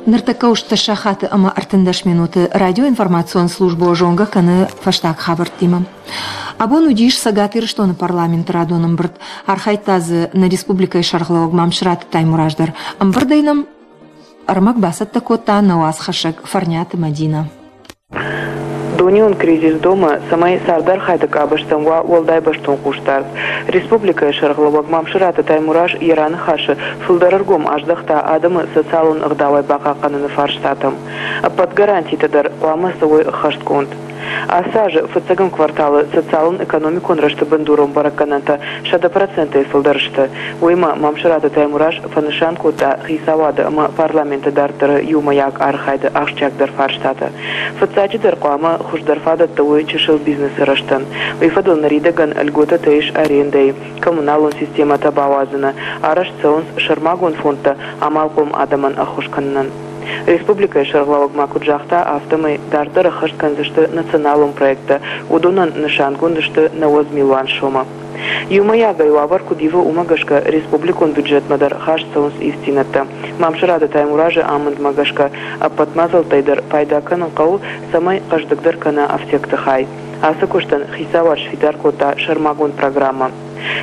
Ныртӕккӕ устдӕс сахаты ӕмӕ 13 минуты радиоинформацион службӕ зонгӕ кӕны фӕстаг хабӕрттимӕ. Абон уыдис Цӕгат Ирыстоны парламенты радон ӕмбырд. Архайдта дзы нӕ республикӕйы сӕргълӕууӕг Мамсыраты Таймураз дӕр. Ӕмбырдӕй нӕм ӕрмӕг бацӕттӕ кодта нӕ уацхӕссӕг Фӕрниаты Мӕдинӕ. Дунеон кризис домы, цӕмӕй цардархайды къабӕзтӕм уа уӕлдай бӕстон хъусдард. Республикӕйы сӕргълӕууӕг Мамсыраты Таймураз йӕ раныхасы фылдӕр ӕргом аздӕхта адӕмы социалон ӕгъдауӕй бахъахъхъӕныны фарстатӕм. Ӕппӕт гарантитӕ дӕр хъуамӕ цӕуой ӕххӕстгонд. Ацы азы фыццӕгӕм кварталы социалон-экономикон рӕзты бындурон бӕрӕггӕнӕнтӕ 100%-ӕй фылдӕр сты. Уыимӕ Мамсыраты Таймураз фӕнысан кодта хицауады ӕмӕ парламенты дарддӕры иумӕйаг архайды ахсджиагдӕр фарстатӕ. Фыццаджыдӕр хъуамӕ хуыздӕр фадӕттӕ уой чысыл бизнесы рӕзтӕн. Уый фӕдыл ныридӕгӕн льготӕтӕ ис арендӕйы, коммуналон системӕтӕ бауадзыны, арӕзт цӕуынц сӕрмагонд фондтӕ амалхъом адӕмӕн ӕххуыс кӕнынӕн. Республикӕйы сӕргълӕууӕг ма куыд загъта, афтӕмӕй дарддӕр ӕххӕст кӕндзысты националон проекттӕ, уыдонӕн нысангонд сты 90 милуан сомы. Иумӕйагӕй уавӕр куыд ивы, уымӕ гӕсгӕ республикон бюджетмӕ дӕр хаст цӕуынц ивддзинӕдтӕ. Мамсыраты Таймуразы амындмӕ гӕсгӕ ӕппӕт мадзӕлттӕй дӕр пайда кӕнын хъӕуы, цӕмӕй хъӕздыгдӕр кӕна афтекты хай. Ацы куыстӕн хицауад сфидар кодта сӕрмагонд программӕ.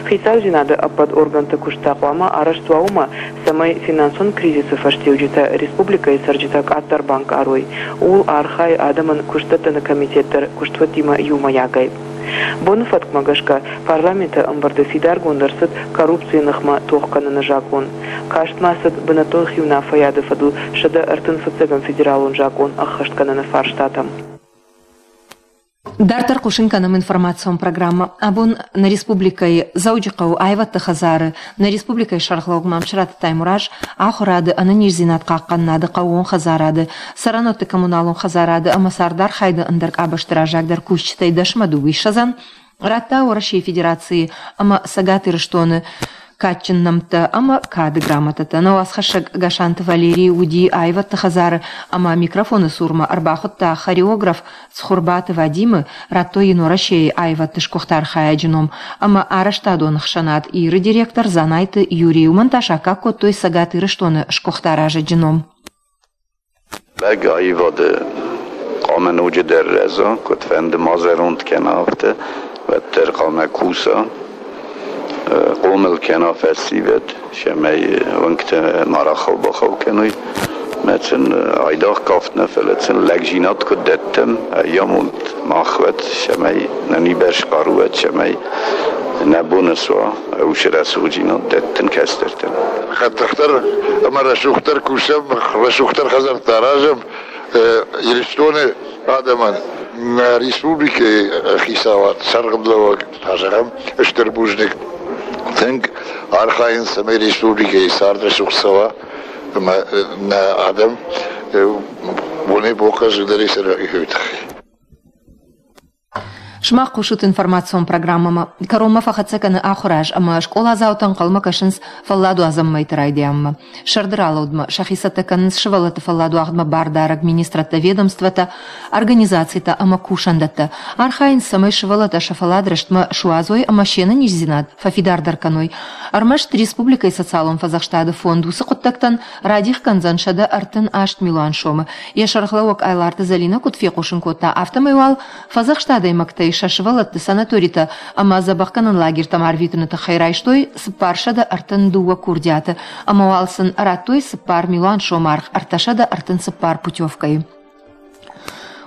Хицаудзинады ӕппӕт органты куыст та хъуамӕ арӕзт уа уымӕ, цӕмӕй финансон кризисы фӕстиуджытӕ республикӕйы цӕрджытӕ къаддӕр банкъарой. Ууыл архайы адӕмӕн куыстдӕттыны комитет дӕр куыстуӕттимӕ иумӕйагӕй. Боны фӕткмӕ гӕсгӕ Парламенты ӕмбырды фидаргонд ӕрцыд коррупцийы ныхмӕ тох кӕныны закъон. Каст ма цыд бынӕттон хиуынаффӕйады фӕдыл 135 федералон закъон ӕххӕст кӕныны фарстатӕм. Дарддӕр хъусын кӕнӕм информацион программӕ. Абон нӕ республикӕйы Дзӕуджыхъӕуы аивӕдты хӕдзары нӕ республикӕйы сӕргълӕууӕг Мамсыраты Таймураз ахуырады, ӕнӕниздзинад хъахъхъӕнынады, хъӕууон хӕдзарады, цӕрӕнуӕтты коммуналон хӕдзарады ӕмӕ цардархайды ӕндӕр къабӕзты раззагдӕр кусджытӕй дӕсмӕ дыууиссӕдзӕн радта Уӕрӕсейы Федерацийы ӕмӕ Цӕгат Ирыстоны кадджын нӕмттӕ ӕмӕ кады грамотӕтӕ. Нӕ уацхӕссӕг Гасанты Валерий уыди аивӕдты хӕдзары ӕмӕ микрофоны цурмӕ ӕрбахуыдта хореограф Цхуырбаты Вадимы, радтой йын Уӕрӕсейы аивӕдты сгуыхт архайӕджы ном ӕмӕ арӕзтадон ӕхсӕнад Иры директор Дзанайты Юрий. Уымӕн та саккаг кодтой Цӕгат Ирыстоны сгуыхт аразӕджы ном. Лӕг аивады хъуамӕ ноджыдӕр рӕза, куыдфӕнды ма зӕронд кӕна, афтӕ, уӕддӕр хъуамӕ куса, хъомыл кӕна фӕсивӕд, цӕмӕй уынгтӕ ма рахау-бахау кӕной. Мӕ сын айдагъ кафт нӕ, фӕлӕ сын лӕгдзинад куыд дӕттӕм, ӕйамонд мах уӕд, цӕмӕй нӕ нибӕрц хъару уӕд, цӕмӕй нӕ бон суа уыцы рӕсугъддзинад дӕттын кӕстӕртӕн. Хъӕддыхдӕр ӕмӕ рӕсугъддӕр кусӕм, рӕсугъддӕр хӕдзӕрттӕ аразӕм Ирыстоны адӕмӕн. Нӕ республикӕйы хицауад, сӕргълӕууӕг, зӕгъӕм, стыр бузныг. Тынг архайынц, цӕмӕй республикӕйы цард рӕсугъд цӕуа ӕмӕ нӕ адӕм бонӕй-бон хъӕздыгдӕрӕй цӕрой, уый тыххӕй. Сымах хъусут информацион программӕмӕ. Кӕронмӕ фӕхӕццӕ кӕны ахуыраз ӕмӕ скъоладзаутӕ ӕнхъӕлмӕ кӕсынц фӕлладуадзӕн мӕйты райдианмӕ. Сӕрды ралӕудмӕ сӕхи цӕттӕ кӕнынц сывӕллӕтты фӕлладуагъдмӕ бардарӕг министрӕдтӕ, ведомствӕтӕ, организацитӕ ӕмӕ кусӕндӕттӕ. Архайынц, цӕмӕй сывӕллӕттӕ сӕ фӕллад рӕстмӕ суадзой ӕмӕ се нӕниздзинад фӕфидардӕр кӕной. Ӕрмӕст республикӕйы социалон фӕдзӕхстады фонд уыцы хъуыддӕгтӕн радих кӕндзӕн 138 милуан сомы. Йӕ сӕргълӕууӕг Айларты Зӕлинӕ куыд фехъусын кодта, афтӕмӕй уал фӕдзӕхст адӕймӕгтӕй сӕ сывӕллӕтты санаторитӕ ӕмӕ дзӕбӕхгӕнӕн лагертӕм арвитыны тыххӕй райстой 432 курдиаты ӕмӕ уал сын радтой 4 милуан сомы аргъ 334 путевкӕйы.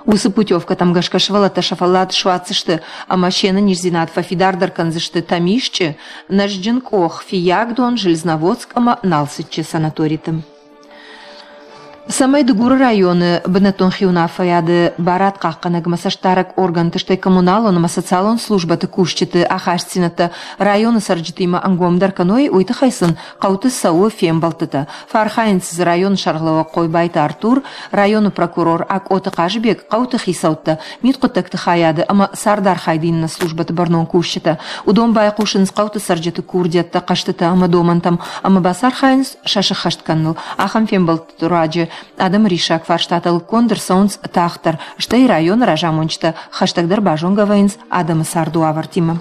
Уыцы путевкӕтӕм гӕсгӕ сывӕллӕттӕ сӕ фӕллад суадздзысты ӕмӕ се нӕниздзинад фӕфидардӕр кӕндзысты Тӕмисчъы, Нӕзджын къох, Фыййагдон, Железноводск ӕмӕ Налцыччы санаториты. Цӕмӕй Дыгуры районы бынӕттон хиуынаффӕйады барадхъахъхъӕнӕгмӕ цӕстдарӕг органты, стӕй коммуналон ӕмӕ социалон службӕты кусджыты ахастдзинӕдтӕ районы цӕрджытимӕ ӕнгомдӕр кӕной, уый тыххӕй сын хъӕуты цӕуы фембӕлдтытӕ. Фӕархайынц дзы районы сӕргълӕууӕг Хъойбайты Артур, районы прокурор Акъоты Хъазыбег, хъӕуты хицӕуттӕ, мидхъуыддӕгты хайады ӕмӕ цардархайды иннӕ службӕты бӕрнон кусджытӕ. Уыдон байхъусынц хъӕуты цӕрджыты курдиӕттӕ, хъӕстытӕ ӕмӕ домӕнтӕм ӕмӕ бацархайынц сӕ сыххӕст кӕныныл. Ахӕм фембӕлдты руаджы адӕмы риссаг фарстатӕ лыггонд ӕрцӕуынц тагъддӕр, стӕй районы разамонджытӕ хӕстӕгдӕр базонгӕ вӕййынц адӕмы царды уавӕртимӕ.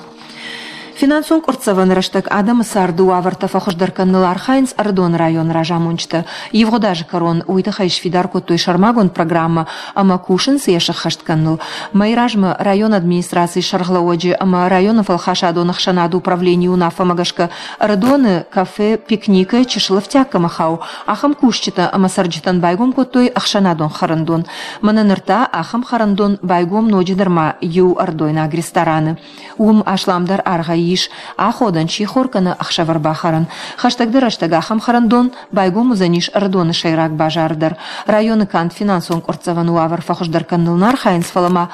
Финансон къуырццӕвӕны рӕстӕг адӕмы царды уавӕртӕ фӕхуыздӕр кӕныныл архайынц Ӕрыдоны районы разамонджытӕ. Ивгъуыд азы кӕрон уый тыххӕй сфидар кодтой сӕрмагонд программӕ ӕмӕ кусынц йӕ сӕххӕст кӕныныл. Мӕй размӕ районы администрацийы сӕргълӕууӕджы ӕмӕ районы фӕлхасадон ӕхсӕнады управленийы уынаффӕмӕ гӕсгӕ Ӕрыдоны кафе «Пикник»-ы чысыл ӕфтиаг кӕмӕ хауы, ахӕм кусджытӕ ӕмӕ цӕрджытӕн байгом кодтой ӕхсӕнадон хӕрӕндон. Мӕнӕ ныр та ахӕм хӕрӕндон байгом ноджыдӕр ма иу ӕрыдойнаг рестораны. Уым асламдӕр аргъӕй ис аходӕн, сихор кӕнӕ ӕхсӕвӕр бахӕрӕн. Хӕстӕгдӕр рӕстӕг ахӕм хӕрӕндон байгом уыдзӕнис Ӕрыдоны сӕйраг базары дӕр. Районы канд финансон къуырццӕвӕны уавӕр фӕхуыздӕр кӕныныл нӕ архайынц, фӕлӕ ма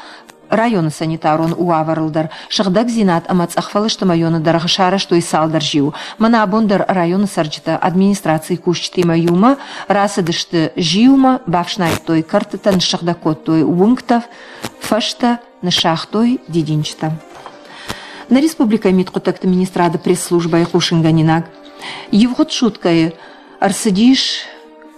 районы санитарон уавӕрыл дӕр. Сыгъдӕгдзинад ӕмӕ цъӕхфӕлысты мӕйоны дӕргъы сарӕзтой цалдӕр зиуы. Мӕнӕ абон дӕр районы цӕрджытӕ администрацийы кусджытимӕ иумӕ рацыдысты зиумӕ, бафснайдтой кӕртытӕ, ныссыгъдӕг кодтой уынгтӕ, фӕзтӕ, ныссагътой дидинджытӕ. Нӕ республикӕйы мидхъуыддӕгты министрады пресс-службӕйы хъусынгӕнинаг. Ивгъуыд суткӕйы ӕрцыдис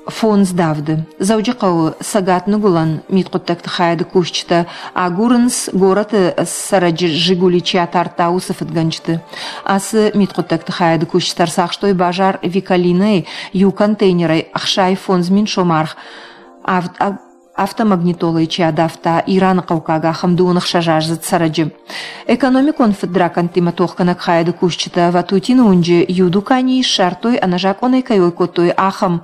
фондз давды. Дзӕуджыхъӕуы цӕгат-ныгуылӕн мидхъуыддӕгты хайады кусджытӕ агурынц горӕты цӕрӕджы «Жигули» чи атардта, уыцы фыдгӕнджыты. Ацы мидхъуыддӕгты хайады кусджытӕ ӕрцахстой базар Викалинӕйы иу контейнерӕй 65 мин сомы аргъ авд автомагнитолӕй чи адавта, Ираны хъӕуккаг ахӕм 26-аздзыд цӕрӕджы. Экономикон фыдракӕндтимӕ тохгӕнӕг хайады кусджытӕ Ватутины уынджы иу дуканийы ссардтой, ӕнӕзакъонӕй кӕй ой кодтой, ахӕм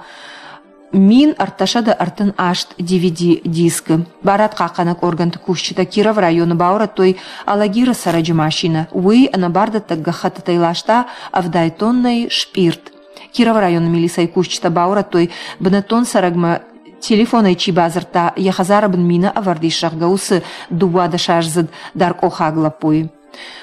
1338 DVD-дискы. Барадхъахъхъӕнӕг органты кусджытӕ Кировы районы баурӕдтой Алагиры цӕрӕджы машинӕ. Уый ӕнӕбардӕттӕг гӕххӕттытӕй ласта 70 тоннӕйы спъирт. Кировы районы милицӕйы кусджытӕ баурӕдтой бынӕттон цӕрӕгмӕ телефонӕй чи бадзырдта, йӕ хӕдзары бын мина ӕвӕрд ис, зӕгъгӕ, уыцы 12-аздзыд даркъохаг лӕппуйы.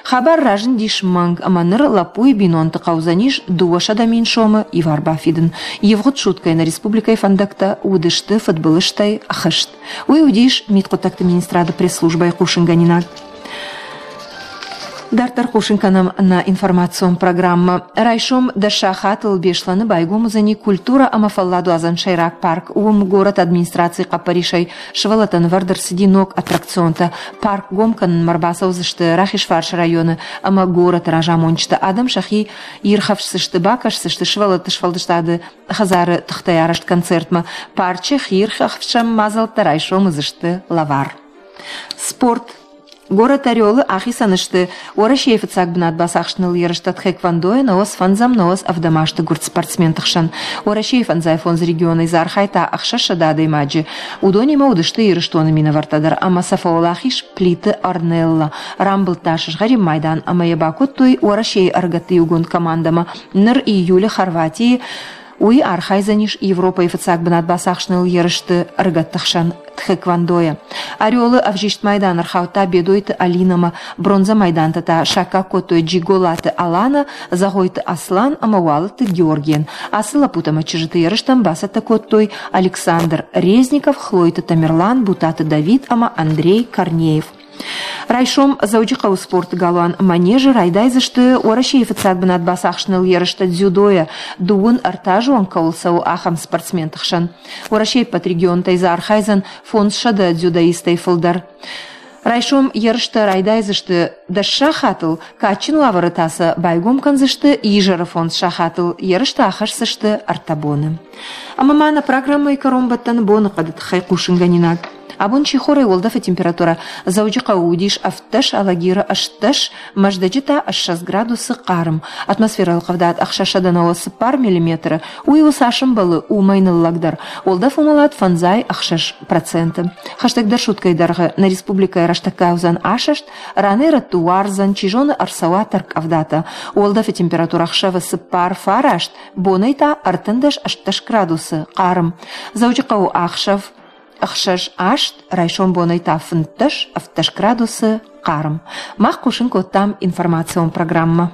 Хабар разындис мӕнг, ӕмӕ ныр лӕппуйы бинонты хъӕудзӕнис 200 000 сомы ивар бафидын. Ивгъуыд суткӕйы нӕ республикӕйы фӕндӕгтӕ уыдысты фыдбылызтӕй хызт. Уый уыдис мидхъуыддӕгты министрады пресс-службӕйы хъусынгӕнинаг. Дарддӕр хъусын кӕнӕм нӕ информацион программӕ. Райсом дӕс сахатыл Беслӕны байгом уыдзӕни культурӕ ӕмӕ фӕлладуадзӕн сӕйраг парк. Уым горӕты администрацийы хъӕппӕрисӕй сывӕллӕттӕн ӕвӕрд ӕрцыди ног аттракционтӕ. Парк гом кӕнынмӕ ӕрбацӕудзысты Рахизфарсы районы ӕмӕ горӕты разамонджытӕ. Адӕм сӕхи ирхӕфсдзысты, бакӕсдзысты сывӕллӕтты сфӕлдыстады хӕдзары тыхтӕй арӕзт концертмӕ. Парчы хиирхӕфсӕн мадзӕлттӕ райсом уыдзысты лӕвар. Спорт. Горӕт Орелы ахицӕн сты Уӕрӕсейы фыццаг бынат бацахсыныл ерыстӕ тхэквондойӕ науӕдз фӕндзӕм, науӕдз ӕвдӕм азты гуырд спортсменты хсӕн. Уӕрӕсейы фӕндзай фондз регионӕй дзы архайдта 600 адӕймаджы. Уыдонимӕ уыдысты Ирыстоны минӕвӕрттӕ дӕр ӕмӕ сӕ фӕуӕлахиз Плиты Арнелла. Рамбылдта сызгъӕрин майдан ӕмӕ йӕ бакодтой Уӕрӕсейы ӕрыгӕтты иугонд командӕмӕ. Ныр июлы Хорватийы Уый архайдзӕнис Европӕйы фыццаг бынат бацахсыныл ерысты ӕрыгӕтты хсӕн тхэквондойӕ. Орелы ӕвзист майдан ӕрхаудта Бедойты Алинӕмӕ, бронзӕ майдантӕ та саккаг кодтой Джиголаты Алана, Зӕгъойты Аслан ӕмӕ Уалыты Георгийӕн. Ацы лӕппутӕ ӕмӕ чызджыты ерыстӕм бацӕттӕ кодтой Александр Резников, Хлойты Тамерлан, Бутаты Давид ӕмӕ Андрей Корнеев. Райсом Дзӕуджыхъӕуы спорты галуан Манежы райдайдзысты Уӕрӕсейы фыццаг бынат бацахсыныл ерыстӕ дзюдойӕ дыууын ӕртӕазон кӕуыл цӕуы, ахӕм спортсменты хсӕн. Уӕрӕсейы ӕппӕт регионтӕй дзы архайдзӕн 500 дзюдоистӕй фылдӕр. Райсом ерыстӕ райдайдзысты 10 сахатыл, кадджын уавӕры та сӕ байгом кӕндзысты изӕры 5 сахатыл, ерыстӕ ахӕсдзысты ӕртӕ боны. Ӕмӕ ма нӕ программӕйы кӕронбӕттӕны боныхъӕды тыххӕй хъусынгӕнинаг. Абон сихорӕй уӕлдӕфы температурӕ Дзӕуджыхъӕуы уыдис 17, Алагиры 18, Мӕздӕджы та 20 градусы хъарм. Атмосферӕйыл къӕвдат 694 миллиметры, уый у цас ӕмбӕлы, уымӕй ныллӕгдӕр. Уӕлдӕф уымӕлад 56%. Хӕстӕгдӕр суткӕйы дӕргъы нӕ республикӕйы рӕстӕггай уыдзӕн асӕст, ранӕй-рӕтты уардзӕн, чи зоны, ӕрцӕуа тӕрккъӕвдатӕ. Уӕлдӕфы температурӕ ӕхсӕвы 4-9, бонӕй та 13-18 градусы хъарм. Дзӕуджыхъӕуы ӕхсӕв 6-8, райсом бонӕй та 15-17 градусы хъарм. Мах хъусын кодтам информацион программӕ.